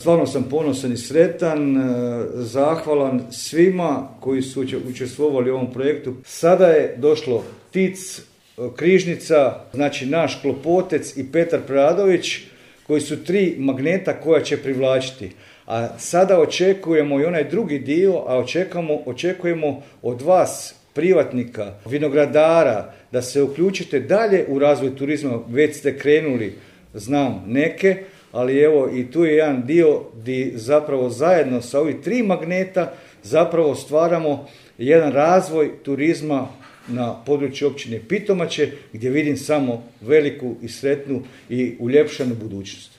Stvarno sam ponosan i sretan, zahvalan svima koji su učestvovali u ovom projektu. Sada je došlo Tic, Križnica, znači naš Klopotec i Petar Preradović, koji su 3 magneta koja će privlačiti. A sada očekujemo i onaj drugi dio, a očekujemo od vas, privatnika, vinogradara, da se uključite dalje u razvoj turizma. Već ste krenuli, znam neke, ali evo i tu je jedan dio gdje zapravo zajedno sa ovih 3 magneta zapravo stvaramo jedan razvoj turizma na području općine Pitomače, gdje vidim samo veliku i sretnu i uljepšanu budućnost.